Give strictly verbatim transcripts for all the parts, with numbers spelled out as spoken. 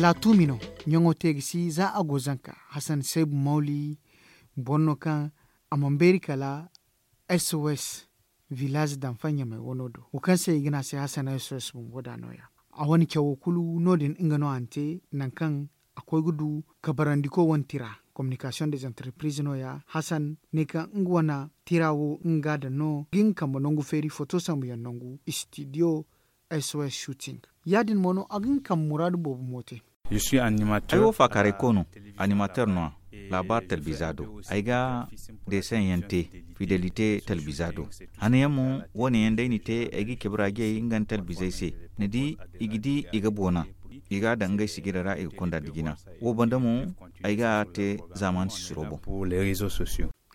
Laatumi no ɲaŋo te ga si za a go zanka. Hasan seebu mawli boro no kaŋ a mana beeri kala s o s village danfa ɲamay wano do wo kaŋ se i ga ne a se hasan s o s bumbo da no- ya. A wane cawo kulu no- din nga no a na te nangu kaŋ a koy ga du kabarandiko wane tira, communication des entreprises no- ya hasan ne kaŋ nga wane tira wo nga ga a daŋ no ga nga kambe nangu feeri foto sambu yaŋ nangu studio s o s shooting. Ya- din mo no a ga nga kambe muraadu boobo mo te. Ay wo faakaaray ko no, animateur no- ya laabaari talbiza do. Ay ga deeseŋ yaŋ te fidelite talbiza do. Hane yaŋ mo wo- ne yaŋ day ni te ay ga i cabe raajey nga nda talbizey se. Ni di, i ga di i ga boona, i ga a daŋ ngey sijira ra i ga konda nda jina. Wo banda mo ay ga a te zaamaani sisiro boŋ.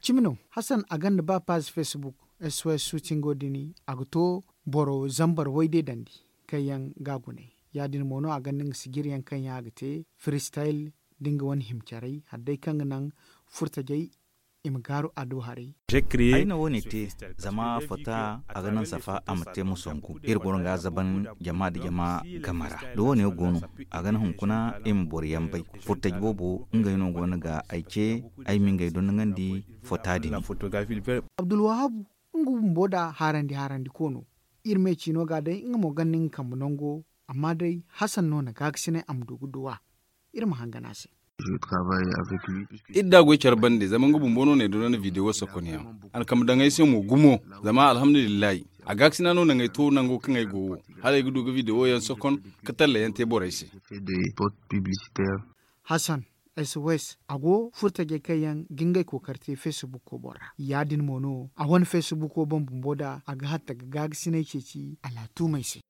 Cimi no hasan a gonda ba paazi facebook, s o s suutingo din a ga to boro zambar wayde dandi kaŋ yaŋ ga a gune. Ya- din mo no a gonda nga sijiri yaŋ kaŋ yaŋ a ga te freestyle, da nga wane hima caray hala day kaŋ ga naŋ furtajey i ma gaaru a do haray. Ay na wo- ne te zama fota a ga naŋ safa a ma te ma songu iri boro ga a zaban jama nda jama game ra. Da wo- ne go no, a ga naŋ hunkuna i ma boro yaŋ bay. Furtaji boobo ngey no go no ga ay ce, ay ma ngey dondonandi fota din. Abdulwahabu, nga bumbo nda haarandi haarandi ko no. Iri me ciino ga day nga mo gonda nga kambe nango. Amma day hasan no na gaakasinay a ma du ga duw'a. Iri ma hangan a se. Iri da a goy care bande zama nga bumbo no na ay dondon video sokon yaŋ. A na kambe daŋ ay se mo gumo. Zama alhamdulillahi, a gaakasina no naŋ ay to nango kaŋ ay go wo, hala ay ga du ga video yaŋ sokon ka talla yaŋ te borey se. Hasan, s o s a go furtajey kaŋ yaŋ ga ngey kookari te facebook wo boŋ ra. Ya- din mo no a wane facebook wo boŋ bumbo nda a ga hatta ga gaakasinay ceeci a laatuumey se.